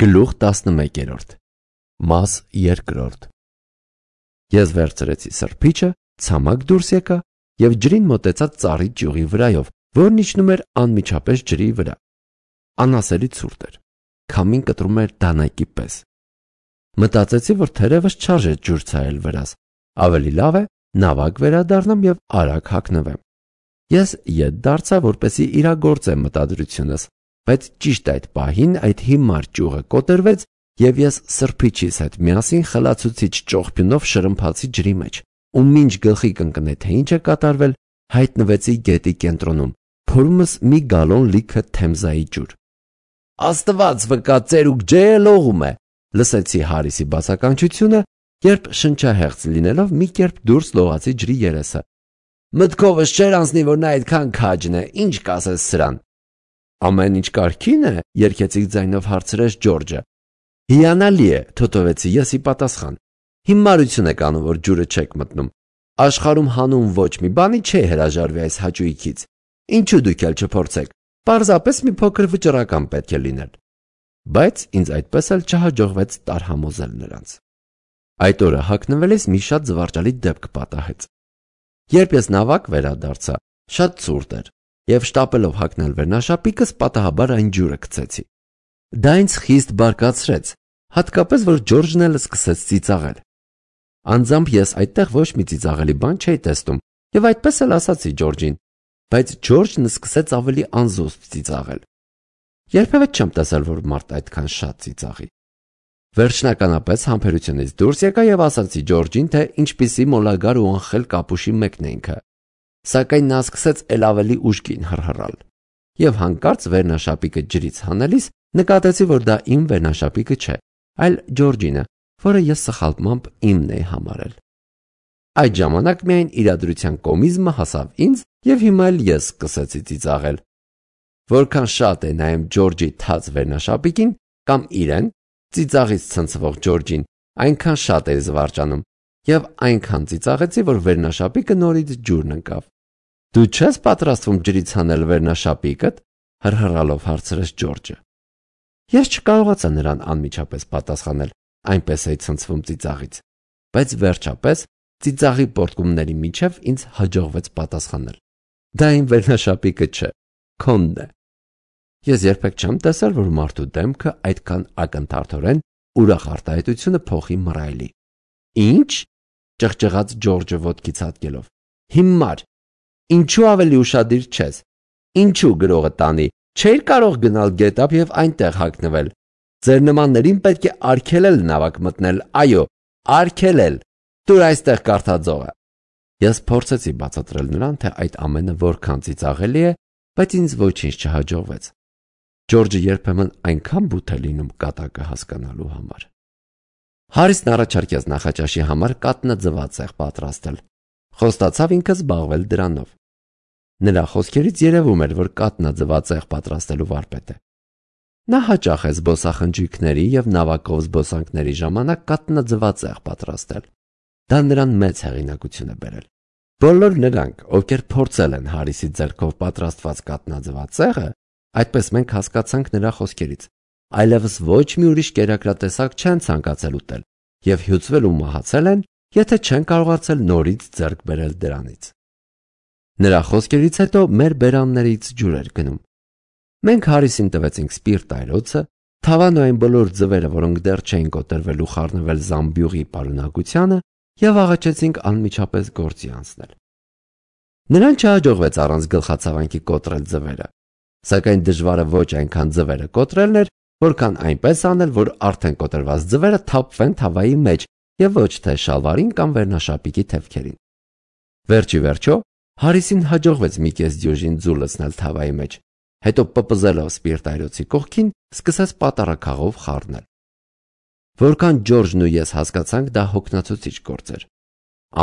Գլուխ 11 Մաս 2 Ես վերցրեցի սրբիչը, ցամաք դուրս եկա և ջրին մոտեցած ծառի ճյուղի վրայով, որն իջնում էր անմիջապես ջրի վրա։ Անասելի ցուրտ էր, քամին կտրում էր դանակի պես։ Մտածեցի, որ թերևս չարժե ջուր ցայել վրաս, ավելի լավ է նավակ վերադառնամ և արագ հագնվեմ։ Ես ետ դարձա, որպեսզի իրագործեմ մտադրությունս, բայց ճիշտ այդ պահին այդ հիմար ճյուղը կոտրվեց և ես սրբիչիս հետ միասին խլացուցիչ ճողփյունով շրմփացի ջրի մեջ, ու մինչ գլխի կընկնե, թե ինչ է կատարվել, հայտնվեցի գետի կենտրոնում, փորումս մի գալոն լիքը Թեմզայի ջուր։ «Աստված վկա, ծերուկ ջեը լողում է», լսեցի Հարիսի բացականչությունը, երբ շնչահեղձ լինելով մի կերպ դուրս լողացի ջրի երեսը։ «Մտքովս չէր անցնի, որ նա այդքան քաջն է, ինչ կասես սրան»։ «Ամեն ինչ կարգին է», երգեցիկ ձայնով հարցրեց Ջորջը։ «Հիանալի է», թոթովեցի ես ի պատասխան։ «Հիմարություն եք անում, որ ջուրը չեք մտնում։ Աշխարհում հանուն ոչ մի բանի չի հրաժարվի այս հաճույքից։ Ինչու դուք էլ չփորձեք։ Պարզապես մի փոքր վճռական պետք է լինել»։ Բայց ինձ այդպես էլ չհաջողվեց տարհամոզել նրանց։ Այդ օրը հագնվելիս մի շատ զվարճալի դեպք պատահեց։ Երբ ես նավակ վերադարձա, շատ ցուրտ էր, և շտապելով հագնել վերնաշապիկս, պատահաբար այն ջուրը գցեցի։ Դա ինձ խիստ բարկացրեց, հատկապես որ Ջորջն էլ սկսեց ծիծաղել։ Անձամբ ես այդտեղ ոչ մի ծիծաղելի բան չէի տեսնում, և այդպես էլ ասացի Ջորջին, բայց Ջորջն սկսեց ավելի անզուսպ ծիծաղել։ Երբևէ չեմ տեսել, որ մարդ այդքան շատ ծիծաղի։ Վերջնականապես համբերությունից դուրս եկա և ասացի Ջորջին, թե ինչպիսի մոլագար ու անխել կապուշի մեկն է ինքը։ Սակայն նա սկսեց էլ ավելի ուժգին հռհռալ։ Եվ հանկարծ վերնաշապիկը ջրից հանելիս նկատեցի, որ դա իմ վերնաշապիկը չէ, այլ Ջորջինը, որը ես սխալմամբ իմն էի համարել։ Այդ ժամանակ միայն իրադրության կոմիզմը հասավ ինձ, և հիմա էլ ես սկսեցի ծիծաղել։ Որքան շատ է նայում Ջորջի թաց վերնաշապիկին կամ իրեն, ծիծաղից ցնցվող Ջորջին, այնքան շատ էի զվարճանում, և այնքան ծիծաղեցի, որ վերնաշապիկը նորից ջուրն ընկավ։ «Դու չես պատրաստվում ջրից հանել վերնաշապիկդ», հռհռալով հարցրեց Ջորջը։ Ես չկարողացա նրան անմիջապես պատասխանել, այնպես էի ցնցվում ծիծաղից, բայց վերջապես ծիծաղի պոռթկումների միջև ինձ հաջողվեց պատասխանել. «Դա իմ վերնաշապիկը չէ, քոնն է»։ Ես երբեք չեմ տեսել, որ մարդու դեմքը այդքան ակնթարթորեն ուրախ արտահայտությունը փոխի մռայլի։ «Ի՞նչ», ճղճղաց Ջորջը ոտքից հատկելով։ «Հիմար, ինչու ավելի ուշադիր չես։ Ինչու գրողը տանի, չէիր կարող գնալ գետափ և այնտեղ հագնվել։ Ձեր նմաններին պետք է արգելել նավակ մտնել, այո, արգելել։ Տուր այստեղ կարդաձողը»։ Ես փորձեցի բացատրել նրան, թե այդ ամենը որքան ծիծաղելի է, բայց ինձ ոչինչ չհաջողվեց։ Ջորջը երբեմն այնքան բութ է լինում կատակը հասկանալու համար։ Հարիսն առաջարկեց նախաճաշի համար կատնաձված պատրաստել։ Խոստացավ ինքը զբաղվել դրանով։ Նրա խոսքերից երևում էր, որ կատնաձված պատրաստելու վարպետ է։ Նա հաճախ է զբոսախնջույքների և նավակով զբոսանքների ժամանակ կատնաձված պատրաստել։ Դա նրան մեծ հեղինակություն է բերել։ Բոլոր նրանք, ովքեր փորձել են Հարիսի ձեռքով պատրաստված կատնաձված ցեղը, այդպես մենք հասկացանք նրա խոսքերից, այլևս ոչ մի ուրիշ կերակրատեսակ չեն ցանկացել ուտել և հյուծվել ու մահացել են, եթե չեն կարողացել նորից ձեռք բերել դրանից։ Նրա խոսքերից հետո մեր բերաններից ջուր էր գնում։ Մենք Հարիսին տվեցինք սպիրտ այրոցը, թավան ու այն բոլոր ձվերը, որոնք դեռ չէին կոտրվել ու խառնվել զամբյուղի պարունակությանը, և աղաչեցինք անմիջապես գործի անցնել։ Նրան չհաջողվեց առանց գլխացավանքի կոտրել ձվերը, սակայն դժվարը ոչ այնքան ձվերը կոտրելն էր, որքան այնպես անել, որ արդեն կոտրված ձվերը թափվեն թավայի մեջ և ոչ թե շալվարին կամ վերնաշապիկի թևքերին։ Վերջի վերջո Հարիսին հաջողվեց մի կես դյուժին ձու լցնել թավայի մեջ, հետո պպզելով սպիրտ այրոցի կողքին, սկսեց պատառաքաղով խառնել։ Որքան Ջորջն ու ես հասկացանք, դա հոգնեցուցիչ գործ էր։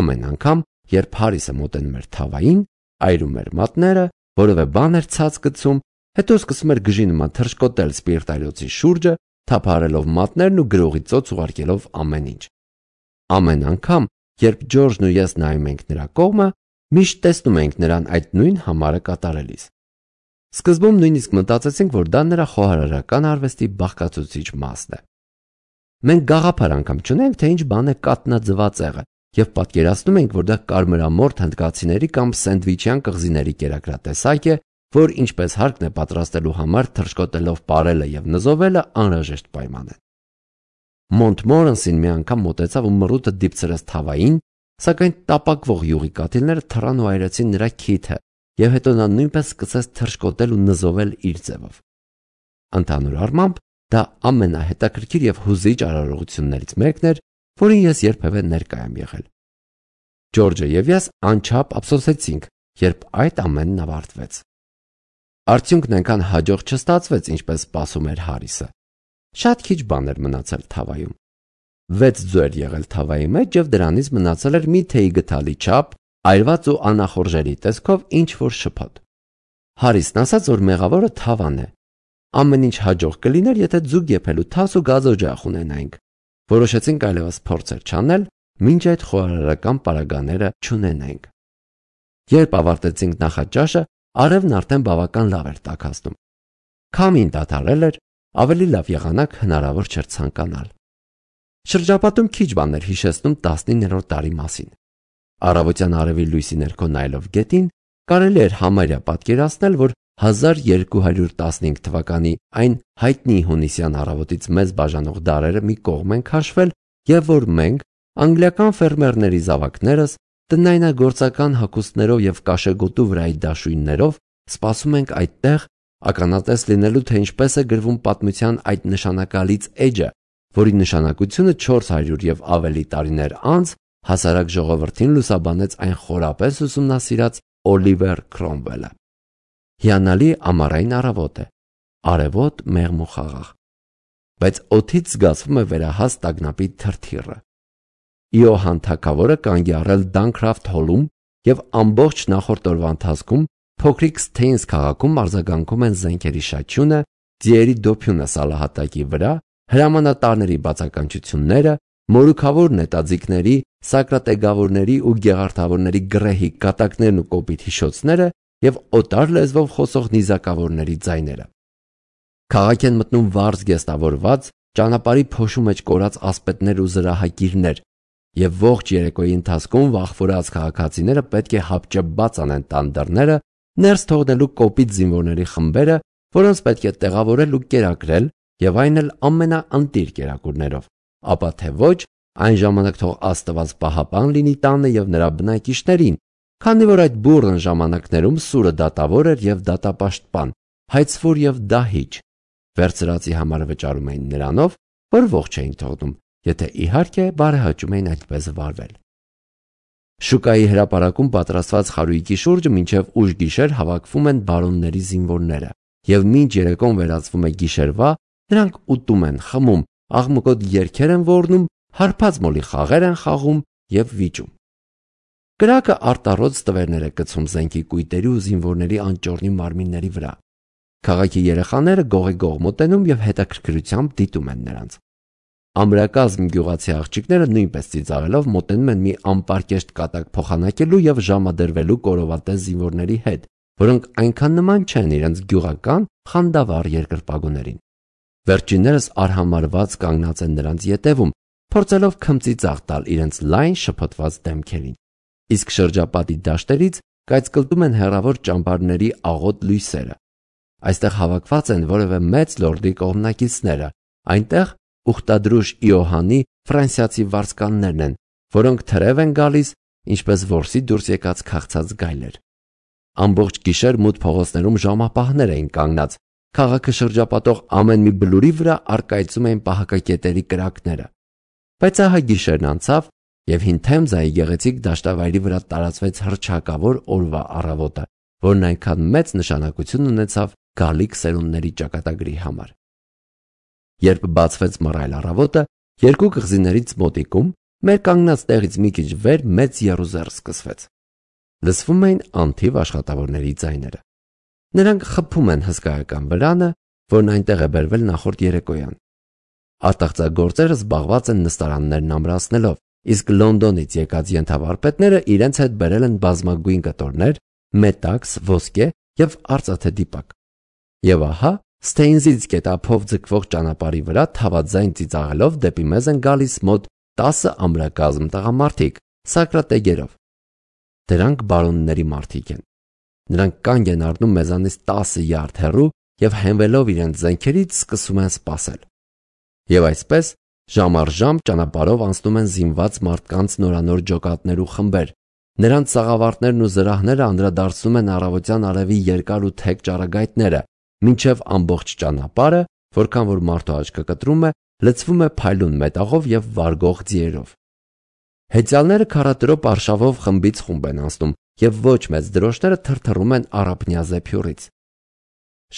Ամեն անգամ, երբ Հարիսը մոտենում էր թավային, այրում էր մատները, որևէ բան էր ցած գցում, հետո սկսում էր գժի նման թռչկոտել սպիրտ այրոցի շուրջը, թափահարելով մատներն ու գրողի ծոց ուղարկելով ամեն ինչ։ Ամեն անգամ, երբ Ջորջն ու ես նայում ենք նրա կողմը, միշտ տեսնում ենք նրան այդ նույն համարը կատարելիս։ Սկզբում նույնիսկ մտածեցինք, որ դա նրա խոհարարական արվեստի բաղկացուցիչ մասն է։ Մենք գաղափար անգամ չունենք, թե ինչ բան է կատնաձվածեղը, եւ պատկերացնում ենք, որ դա կարմրամորթ հնդկացիների կամ սենդվիչյան կղզիների կերակրատեսակ է, որ ինչպես հարկն է պատրաստելու համար թռչկոտելով պարելը եւ նզովելը անհրաժեշտ պայման է։ Մոնտմորանսին մի անգամ մոտեցավ ու մռութը դիպցրեց թավային, սակայն տապակվող յուղի կաթիլները թռան ու այրեցին նրա քիթը, եւ հետո նա նույնպես սկսեց թռչկոտել ու նզովել իր ձևով։ Ընդհանուր առմամբ դա ամենահետաքրքիր եւ հուզիչ արարողություններից մեկն էր, որին ես երբևէ ներկայ եմ եղել։ Ջորջը եւ ես անչափ ափսոսեցինք, երբ այդ ամենն ավարտվեց։ Արդյունքն այնքան հաջող չստացվեց, ինչպես սպասում էր Հարիսը։ Շատ քիչ բան էր մնացել թավայում։ 6 ձուեր եղել թավայի մեջ եւ դրանից մնացել էր մի թեյի գթալի չափ, այրված ու անախորժելի տեսքով ինչ-որ շփոթ։ Հարիսն ասաց, որ մեղավորը թավան է։ Ամեն ինչ հաջող կլիներ, եթե ձուկ եփելու թաս ու գազօջախ ունենայինք։ Որոշեցինք այլևս փորձեր չանել, մինչ այդ խոհարարական պարագաները չունենայինք։ Երբ ավարտեցինք նախաճաշը, արևն արդեն բավական լավ էր տաքացնում։ Քամին դադարել էր, ավելի լավ եղանակ հնարավոր չէր ցանկանալ։ Շրջապատում քիչ բան էր հիշեցնում 19-րդ դարի մասին։ Առավոտյան արևի լույսի ներքո նայելով գետին, կարելի էր համարյա պատկերացնել, որ 1215 թվականի այն հայտնի հունիսյան առավոտից մեզ բաժանող դարերը մի կողմ են քաշվել եւ որ մենք, անգլիական ֆերմերների զավակներս, տնայնագործական հագուստներով եւ կաշեգոտու վրայի դաշույններով սպասում ենք այդտեղ ականատես լինելու, թե ինչպես է գրվում պատմության այդ նշանակալից էջը, որի նշանակությունը 400 եւ ավելի տարիներ անց հասարակ ժողովրդին լուսաբանեց այն խորապես ուսումնասիրած Օլիվեր Քրոմվելը։ Հիանալի ամառային առավոտ է, արևոտ մեղմ ու խաղաղ, բայց օդից զգացվում է վերահաս տագնապի թրթիռը։ Իոհան թագավորը կանգ է առել Դանքրաֆթ հոլում եւ ամբողջ նախորդ օրվա ընթացքում փոքրիկ Սթեյնս քաղաքում արձագանքում են զենքերի շաչյունը, ձիերի դոփյունը սալահատակի վրա, հրամանատարների բացականչությունները, մորուքավոր նետաձիգների, սակրատեգավորների ու գեղարդավորների գրեհի կատակներն ու կոպիտ հիշոցները եւ օտար լեզվով խոսող նիզակավորների ձայները։ Քաղաք են մտնում վարձ գեստավորված, ճանապարհի փոշու մեջ կորած ասպետներ ու զրահակիրներ, եւ ողջ երեկոյի ընթացքում վախվորած քաղաքացիները պետք է հապճեպ անեն տան դռները, ներս թողնելու կոպիտ զինվորների խմբերը, որոնց պետք է տեղավորել ու կերակրել, եւ այն էլ ամենաընտիր կերակուրներով, ապա թե ոչ, այն ժամանակ թող Աստված պահապան լինի տանը եւ նրա բնակիչներին, քանի որ այդ բուռն ժամանակներում սուրը դատավոր էր եւ դատապաշտպան, հայցվոր եւ դահիճ, վերցրածի համար վճարում էին նրանով, որ ողջ էին թողնում, եթե իհարկե բարեհաճում էին այդպես վարվել։ Շուկայի հրապարակում պատրաստված խարույկի շուրջը մինչև ուշ գիշեր հավաքվում են բարոնների զինվորները, եւ մինչ երեկոն վերածվում է գիշերվա, նրանք ուտում են, խմում, աղմկոտ երգեր են ոռնում, հարբած մոլի խաղեր են խաղում եւ վիճում։ Կրակը արտառոց տվերներ է գցում զենքի կույտերի ու զինվորների անճոռնի մարմինների վրա։ Քաղաքի երեխաները գողի-գող մոտենում եւ հետաքրքրությամբ դիտում են նրանց։ Ամրակազմ գյուղացի աղջիկները նույնպես ծիծաղելով մոտենում են մի անպարկեշտ կատակ փոխանակելու եւ ժամադրվելու կորովատես զինվորների հետ, որոնք այնքան նման չեն իրենց գյուղական խանդավառ երկրպագուներին։ Վերջիններս արհամարված կանգնած են նրանց ետևում, փորձելով քմծիծաղ տալ իրենց լայն շփոթված դեմքերին։ Իսկ շրջապատի դաշտերից կայծկլտում են հեռավոր ճամբարների աղոտ լույսերը։ Այստեղ հավաքված են որևէ մեծ լորդի կողմնակիցները, այնտեղ ուխտադրուժ Իոհանի ֆրանսիացի վարձկաններն են, որոնք թրև են գալիս, ինչպես որսի դուրս եկած քաղցած գայլեր։ Ամբողջ գիշեր մութ փողոցներում ժամապահներ էին կանգնած, քաղաքը շրջապատող ամեն մի բլուրի վրա առկայծում էին պահակակետերի կրակները։ Բայց ահա գիշերն անցավ, եւ հին Թեմզայի գեղեցիկ դաշտավայրի վրա տարածվեց հռչակավոր օրվա առավոտը, որն այնքան մեծ նշանակություն ունեցավ գալիք սերունդների ճակատագրի համար։ Երբ բացվեց մռայլ առավոտը, երկու կղզիներից մոտիկում մեր կանգնած տեղից մի քիչ վեր մեծ եռուզեռ սկսվեց։ Լսվում էին անթիվ աշխատավորների ձայները։ Նրանք խփում են հսկայական վրանը, որն այնտեղ է բերվել նախորդ երեկոյան։ Արտաղձագործերը զբաղված են նստարաններն ամրացնելով, իսկ Լոնդոնից եկած ենթավարպետները իրենց հետ բերել են բազմագույն կտորներ, մետաքս, ոսկե եւ արծաթե դիպակ։ Եվ ահա, Ստեյնզից գետափով ձգվող ճանապարհի վրա թավաձայն ծիծաղելով դեպի մեզ են գալիս մոտ 10 ամրակազմ տղամարդիկ, սակրատեգերով։ Դրանք բարոնների մարդիկ են։ Նրանք կանգ են առնում մեզանից 10 յարդ հեռու եւ հենվելով իրենց զենքերից սկսում են սպասել։ Եվ այսպես ժամ առ ժամ ճանապարհով անցնում են զինված մարդկանց նորանոր ջոկատներ ու խմբեր։ Նրանց սաղավարտներն ու զրահները անդրադարձնում են առավոտյան արևի երկար ու թեք ճառագայթները, մինչև ամբողջ ճանապարհը, որքան որ մարդու աչքը կտրում է, լցվում է փայլուն մետաղով եւ վարգող ձիերով։ Հեծյալները քարատրոպ արշավով խմբից խումբ են անցնում եւ ոչ մեծ դրոշները թրթռում են առափնյա զեփյուռից։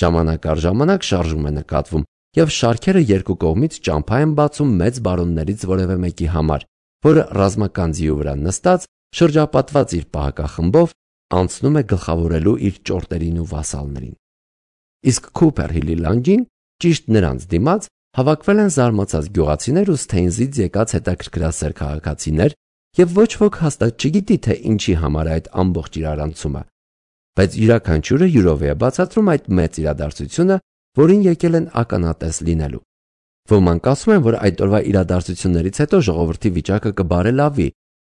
Ժամանակ առ ժամանակ շարժում է նկատվում եւ շարքերը երկու կողմից ճամփա են բացում մեծ բարոններից որևէ մեկի համար, որը ռազմական ձիու վրա նստած, շրջապատված իր պահակախմբով, անցնում է գլխավորելու իր ճորտերին ու վասալներին։ Իսկ Քուփեր Հիլի լանջին, ճիշտ նրանց դիմաց, հավաքվել են զարմացած գյուղացիներ ու Ստեյնզից եկած հետաքրքրասեր քաղաքացիներ, եւ ոչ ոք հաստատ չգիտի, թե ինչի համար է այդ ամբողջ իրարանցումը, բայց յուրաքանչյուրը յուրով է բացատրում այդ մեծ իրադարձությունը, որին եկել են ականատես լինելու։ Ոմանք ասում են, որ այդ օրվա իրադարձություններից հետո ժողովրդի վիճակը կբարելավի,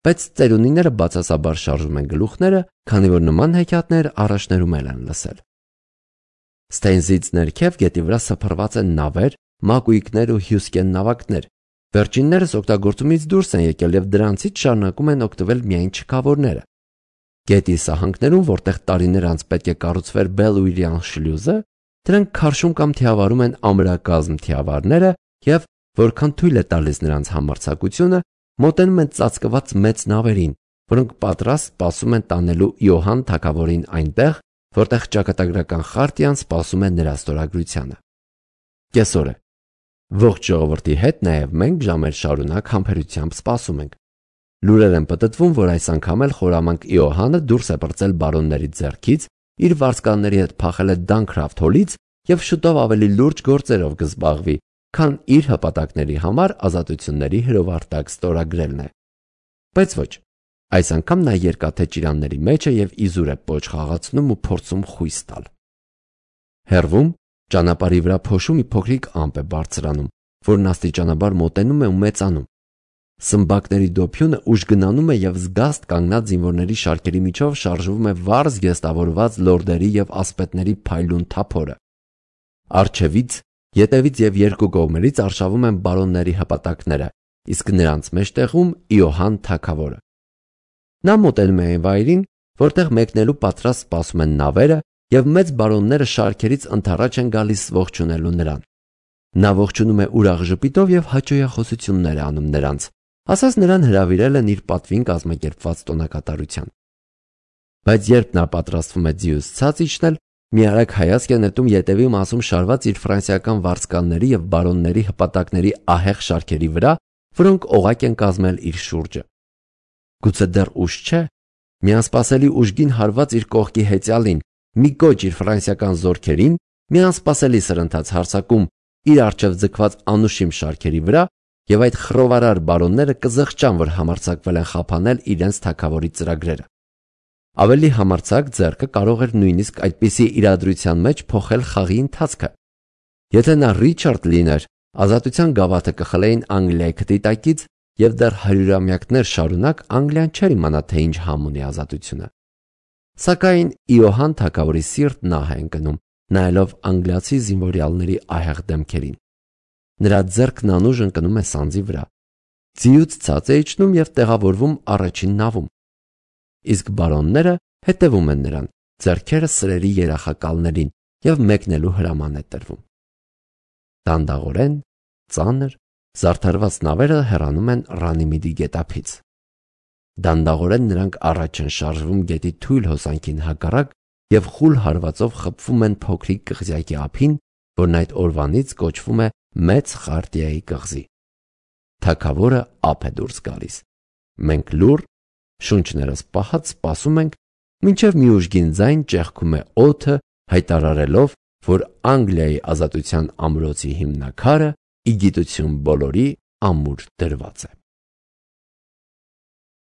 բայց ծերունիները բացասաբար շարժում են գլուխները, քանի որ նման հեքիաթներ առաջներում են լսել։ Ստեյնզից ներքև գետի վրա սփռված են նավեր, մակույկներ ու հյուսկեն նավակներ։ Վերջիններս օգտագործումից դուրս են եկել եւ դրանցից շարունակում են օգտվել միայն չքավորները։ Գետի սահանքներում, որտեղ տարիներ անց պետք է կառուցվեր Բելուիրյան շլյուզը, դրանք քարշում կամ թիավարում են ամրակազմ թիավարները եւ, որքան թույլ է տալիս նրանց համարձակությունը, մոտենում են ծածկված մեծ նավերին, որոնք պատրաստ սպասում են տանելու Իոհան թագավորին այնտեղ, որտեղ ճակատագրական խարտիան սպասում է նրա ստորագրությանը։ Կեսօր է։ Ողջ ժողովրդի հետ նաև մենք ժամեր շարունակ համբերությամբ սպասում ենք։ Լուրեր են պտտվում, որ այս անգամ էլ խորամանկ Իոհանը դուրս է պրծել բարոնների ձեռքից, իր վարձկանների հետ փախել է Դանքրաֆթ հոլից եւ շուտով ավելի լուրջ գործերով կզբաղվի, քան իր հպատակների համար ազատությունների հրովարտակ ստորագրելն է։ Բայց ոչ, այս անգամ նա երկաթե ճիրանների մեջ է եւ իզուր է պոչ խաղացնում ու փորձում խույս տալ։ Հեռվում ճանապարհի վրա փոշու մի փոքրիկ ամպ է բարձրանում, որն աստիճանաբար մոտենում է ու մեծանում։ Սմբակների դոփյունը ուժգնանում է եւ զգաստ կանգնած զինվորների շարքերի միջով շարժվում է վառ զգեստավորված լորդերի եւ ասպետների փայլուն թափորը։ Արջևից, ետևից եւ երկու կողմերից արշավում են բարոնների հպատակները, իսկ նրանց մեջտեղում Իոհան թագավորը։ Նա մոտենում է այն վայրին, որտեղ մեկնելու պատրաստ սպասում են նավերը եւ մեծ բարոնները շարքերից ընդառաջ են գալիս ողջունելու նրան։ Նա ողջունում է ուրախ ժպիտով եւ հաճոյախոսություններ անում նրանց, ասած նրան հրավիրել են իր պատվին կազմակերպված տոնակատարության։ Բայց երբ նա պատրաստվում է ձիուց ցած իջնել, մի արագ հայացք է նետում ետևի մասում շարված իր ֆրանսիական վարձկանների եւ բարոնների հպատակների ահեղ շարքերի վրա, որոնք օղակ են կազմել իր շուրջը։ Գուցե դեռ ուշ չէ։ Մի անսպասելի ուժգին հարված իր կողքի հեծյալին, մի կոչ իր ֆրանսիական զորքերին, մի անսպասելի սրընթաց հարձակում իր առջև ձգված անուշիմ շարքերի վրա, եւ այդ խռովարար բարոնները կզղջան, որ համարձակվել են խափանել իրենց թագավորի ծրագրերը։ Ավելի համարձակ ձեռքը կարող էր նույնիսկ այդպիսի իրադրության մեջ փոխել խաղի ընթացքը։ Եթե նա Ռիչարդ լիներ, ազատության գավաթը կխլեին Անգլիայի քթի եւ դեռ հարյուրամյակներ շարունակ Անգլիան չէր իմանա, թե ինչ համ ունի ազատությունը։ Սակայն Իոհան թագավորի սիրտն ահ է ընկնում, նայելով անգլիացի զինվորյալների ահեղ դեմքերին։ Նրա ձեռքն անուժ ընկնում է սանձի վրա։ Ձիուց ցած է իջնում եւ տեղավորվում առաջին նավում։ Իսկ բարոնները հետևում են նրան, ձեռքերը սրերի երախակալներին եւ մեկնելու հրաման է տրվում։ Դանդաղորեն, ծանր, զարդարված նավերը հեռանում են Ռանիմիդի գետափից։ Դանդաղորեն նրանք առաջ են շարժվում գետի թույլ հոսանքին հակառակ եւ խուլ հարվածով խփվում են փոքրիկ կղզյակի ափին, որն այդ օրվանից կոչվում է Մեծ Խարտիայի կղզի։ Թագավորը ափ է դուրս գալիս։ Մենք լուռ, շունչներս պահած սպասում ենք, մինչև մի ուժգին ձայն ճեղքում է օդը, հայտարարելով, որ Անգլիայի ազատության ամրոցի հիմնաքարը ի գիտություն բոլորի ամուր դրված է։